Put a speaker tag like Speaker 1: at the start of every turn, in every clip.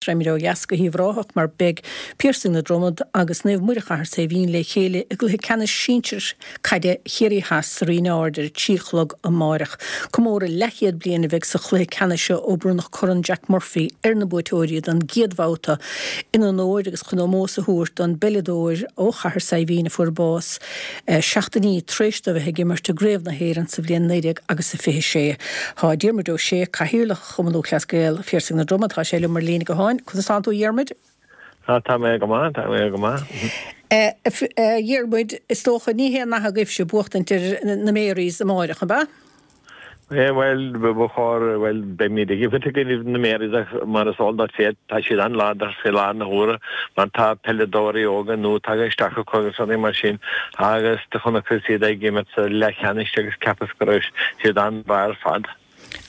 Speaker 1: Raghaimid ó dheas go hUíbh Ráthach mar beidh Piarsaigh na Dromad agus Naomh Muire Chathair Saidhbhín le chéile i gcluiche ceannais sinsir caide Chiarraí Theas sa Rinn Ard ar a 3 a chlog amáireach. Comóradh leathchéad bliain a bheidh sa chluiche ceannais seo ó bronnadh Corn Jack Murphy ar na buaiteoirí don gcéad bhabhta in onóir agus chun ómós a thabhairt don bpeileadóir ó Chathair Saidhbhín a fuair bás seachtainí tar éis dó a bheith ag imirt i gCraobh na hÉireann sa bhliain 19 agus a 26. Tá Diarmuid Ó Sé, Cathaoirleach Chumann Lúthchleas Gael, Phiarsaigh na Droma, tá sé liom ar líne gutháin. Conas tánn tú a Dhiarmuid?
Speaker 2: Tá, tá mé go maith, tá mé go maith.
Speaker 1: A Dhiarmuid, is dócha, ní haon nath agaibhse buachtaint ar na Marys amáireach, ab ea?
Speaker 2: Bhuel, ba chóir, bhuel, beimid ag imirt i gcoinnibh na Marys ach mar is eol duit féin, tá siad an-láidir fé láthair na huaire mar tá peileadóirí óga nua tagtha isteach acu agus rudaí mar sin agus do chonacthas iad ag imirt sa leathcheannais agus cheapas go raibh siad an-mhaith ar fad.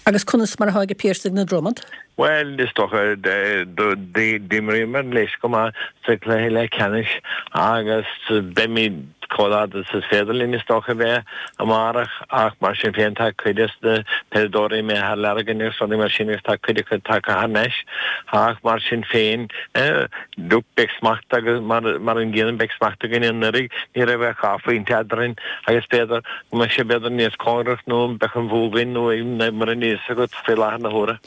Speaker 1: Agus conas mar atá ag Piarsaigh na Dromad?
Speaker 2: Bhuel, is dócha, d'imríomar leis go maith sa chluiche leathcheannais agus beimid chomh láidir is is féidir linn, is dócha, a bheith amárach ach mar sin féin tá cuid des na peileadóirí imithe thar lear againn agus rudaí mar sin agus tá cuid acu tagtha thar n-ais ach mar sin féin, look, beidh smacht agus mar an gcéanna beidh smacht againn anuraidh, ní raibh ach dhá phointe eadrainn agus b'fhéidir go mbeidh sé b'fhéidir níos cóngarach nó beidh an bhua againn nó mar a bhíos agat faoi láthair na huaire.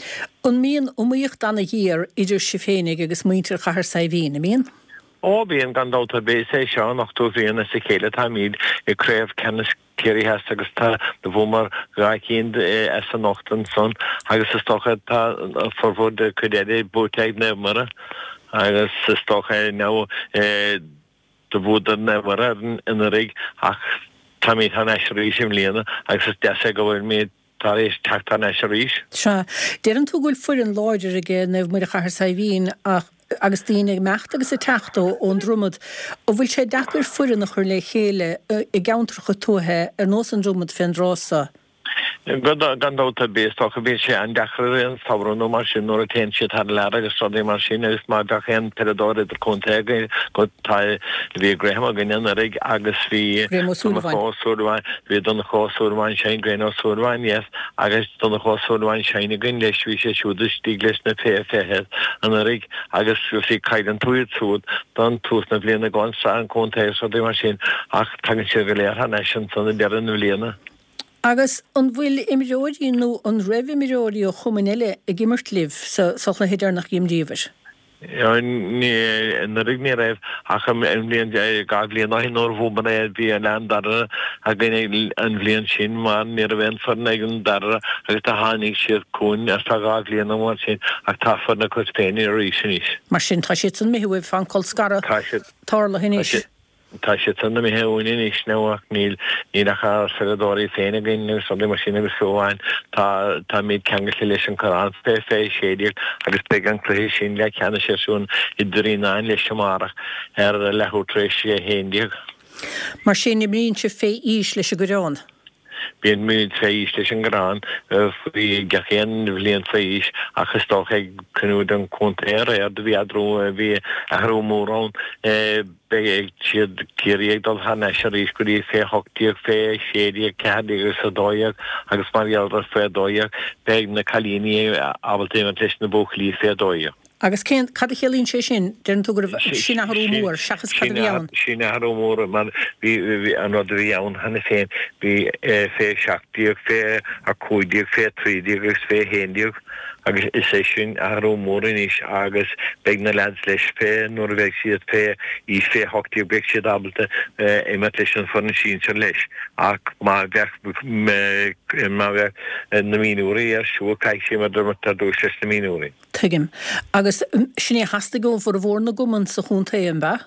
Speaker 1: An mbíonn iomaíocht ana-ghéar idir sibh féinig agus muintir Chathair Saidhbhín, an mbíonn?
Speaker 2: Ó bíonn, gan dabht ar bith. Is é seo an ochtú bhliain as a chéile atáimid i gCraobh Ceannais Ciarraí Theas agus tá do bhuamar dhá cinn as an ocht ansan agus is dócha tá formhór de cuid eile buaite ag Naomh Muire agus is dócha now Do bhuadar Naomh Muire orainn anuraidh ach táimid thar n-ais arís i mbliana agus is deas é go bhfuilimid tar éis teacht thar n-ais arís.
Speaker 1: Sea. Deireann tú go bhfuil foireann láidir ag Naomh Muire Chathair Saidhbhín ach agus daoine ag imeacht agus ag teacht ón Dromad, an bhfuil sé deacair foireann a chur le chéile i gceantracha tuaithe ar nós an Dromad fén dtráth so?
Speaker 2: Gan dabht ar bith, is dócha, bíonn sé an-deacair i rith an samhradh nó mar sin nuair a téann siad thar lear agus rudaí mar sin agus má bheadh aon peileadóir idirchontae againn go tá bhí Graham againn anuraidh agus bhí
Speaker 1: Graham Ó Súilleabháin.
Speaker 2: Donncha Ó Súilleabháin, bhí Donncha Ó Súilleabháin sin, Graham Ó Súilleabháin, yes, agus Donncha Ó Súilleabháin sin againn leis, bhí sé siúd istigh leis na fé 20 anuraidh agus you see cailleann tú iad siúd don tús na bliana go an sraith an chontae agus rudaí mar sin ach tagann siad go léir thar n-ais ansan ag deireadh na bliana.
Speaker 1: Agus an bhfuil imreoirí nó an raibh imreoirí ó chumainn eile ag imirt libh sa chluiche deireanach a d'imríobhair?
Speaker 2: Anuraidh ní raibh ach an bhliain, dhá bhliain ó shin nuair a bhuamar é bhí Oileán Dara againn an bhliain sin mar ní raibh aon foireann ag an Dara agus do tháinig siad chugainn ar feadh dhá bhliain nó mar sin ach tá foireann acu féin arís anois.
Speaker 1: Mar sin tá siadsan imithe uaibh, tá an colscaradh tarlaithe anois.
Speaker 2: Tá siad san imithe uainn anois now ach níl, níl ach ár pheileadóirí féin againn agus rudaí mar sin agus fiú amháin tá, táimid ceangailte leis an Coireán fé 16 agus beidh an cluiche sin leath ceannais ar siúl i dTrínán leis amárach ar leathuair tar éis a 11.
Speaker 1: Mar sin imríonn sibh fé aois leis an gCoireán?
Speaker 2: Bíonn muid fé aois leis an gCoireán faoi gach aon bhliain faoi aois ach is dócha ag cruinniú den chontae aréir do bhí athrú bhí athrú mór ann beidh siad Ciarraí ag dul thar n-ais arís go dtí fé 18, fé 16, 14 agus 12 agus mar gheall ar fé 12 beidh na cailíní ábalta imirt leis na buachaillí fé 12.
Speaker 1: Agus cén, cad a chiallaíonn sé sin? Deireann tú go raibh, sin athrú mór, seachas cad a bhí ann.
Speaker 2: Sin athrú mór mar bhí, bhí an rud a bhí ann cheana féin, bhí fé 17, fé 15, fé 13 agus fé 11 agus is é sin athrú mór anois agus beidh na leaids leis fé, nuair a bheidh siad fé aois fé 18 beidh siad ábalta imirt leis an foireann sinsir leis ach má bheadh, má bheadh na mionúirí ar siúl caithfidh siad imirt ar dtús leis na mionúirí.
Speaker 1: Tuigim. Agus sin é a theastaigh ó bhformhór na gcumann sa chontae, an b'ea?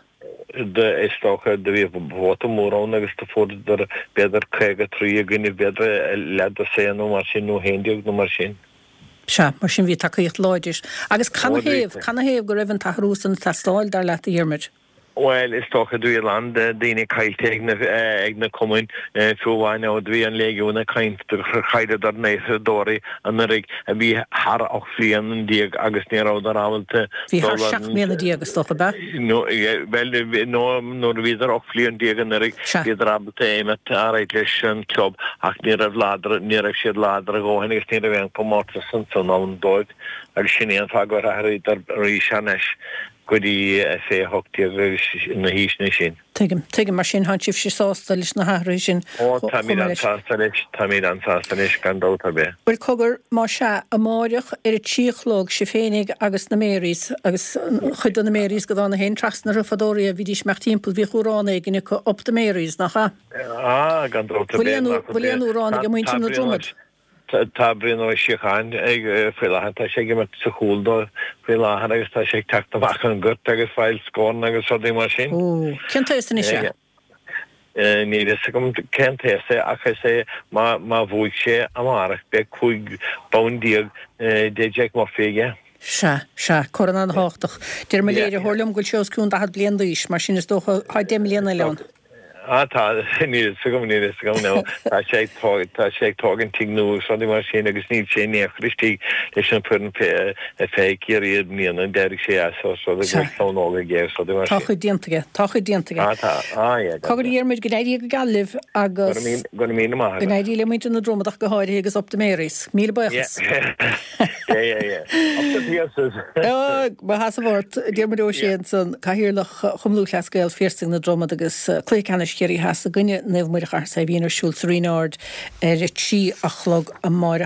Speaker 2: Is dócha, do bhí vóta mór ann agus do fuaireadar b'fhéidir 53 i gcoinne b'fhéidir leathdosaen nó mar sin, nó 11 nó mar sin.
Speaker 1: Sea, mar sin bhí tacaíocht láidir. Agus canathaobh, canathaobh go raibh an t-athrú san ag teastáil, dar leat, a Dhiarmuid?
Speaker 2: Bhuel, is dócha do bhí a lán daoine caillte ag na ag na cumainn, fiú amháin ó do bhí an Léigiún ag caint gur chailleadar naoi anuraidh a bhí thar 18 bhliain agus ní rabhadar ábalta
Speaker 1: Bhí thar 17 mbliana is dócha, ab
Speaker 2: ea? No, bhuel, no, nuair a bhíodar 18 bhliain anuraidh, bhíodar ábalta imeacht ar aghaidh leis an club ach ní raibh láidir, ní raibh siad láidir a dhóthain agus ní raibh aon chomórtas ansan ann dóibh agus sin é an fáth gur athraíodar arís thar n-ais. go dtí fé 18 agus na haoiseanna sin.
Speaker 1: Tuigim. Tuigim. Mar sin, tánn sibhse sásta leis na hathruithe sin
Speaker 2: Ó, chomh táimid maith leis. an-sásta leis, táimid an-sásta leis, gan dabht ar bith.
Speaker 1: Bhuel, cogar, más ea, amáireach ar a trí a chlog, sibh féinig agus na Marys, agus chuid de na Marys go dtána féin trasna orthu fadó riamh, bhídís ag imeacht timpeall, bhíodh amhrán éigin acu, Up the Marys, nach
Speaker 2: ea? Ah, gan dabht ar
Speaker 1: bith, nach Bhfuil aon amhrán ag muintir na Dromad?
Speaker 2: Tá Brian Ó Síocháin ag faoi láthair, tá sé ag imirt sa chúl dóibh faoi láthair agus tá sé ag teacht amach an gort agus fáil scóranna agus rudaí mar sin.
Speaker 1: Ó, cén t-aos anois é?
Speaker 2: Níl fhios agam cén t-aos é ach is é má má bhuaigh sé amárach beidh 15 bonn de Jack Murphy aige.
Speaker 1: Sea, sea, corn an-thábhachtach. Deir mo léiritheoir liom go bhfuil sé os cionn 40 bliain d'aois, mar sin is dócha tá 10 mbliana eile ann.
Speaker 2: Ah tá, níl fhios agam, níl fhios agam, no. Tá sé ag tó, tá sé ag tógaint tigh nua agus rudaí mar sin agus níl sé in aon chor istigh leis an foireann fé, fé Ciarraí i mbliana, d'éirigh sé as os rud é go bhfuil clann óg aige agus rudaí mar
Speaker 1: Tá a
Speaker 2: sin.
Speaker 1: chuid déanta aige, tá a chuid déanta aige.
Speaker 2: Ah tá, ah yeah,
Speaker 1: gan Cogar a Dhiarmuid, go n-éirí go geal libh
Speaker 2: agus. Go raibh míle, go raibh míle maith
Speaker 1: agat. Go n-éirí le muintir na Dromad ach go háirithe agus up the Marys. Míle
Speaker 2: buíochas. Yeah, yeah, yeah, yeah. Up the Pearses.
Speaker 1: Mo sheasamh ort, Diarmuid Ó Sé ansan, Cathaoirleach. Chumann Lúthchleas Gael Phiarsaigh na Dromad agus Cluiche Ceannais Chiarraí Theas i gcoinne Naomh Muire Chathair Saidhbhín ar siúl sa Rinn Ard ar a 3 a chlog amáireach.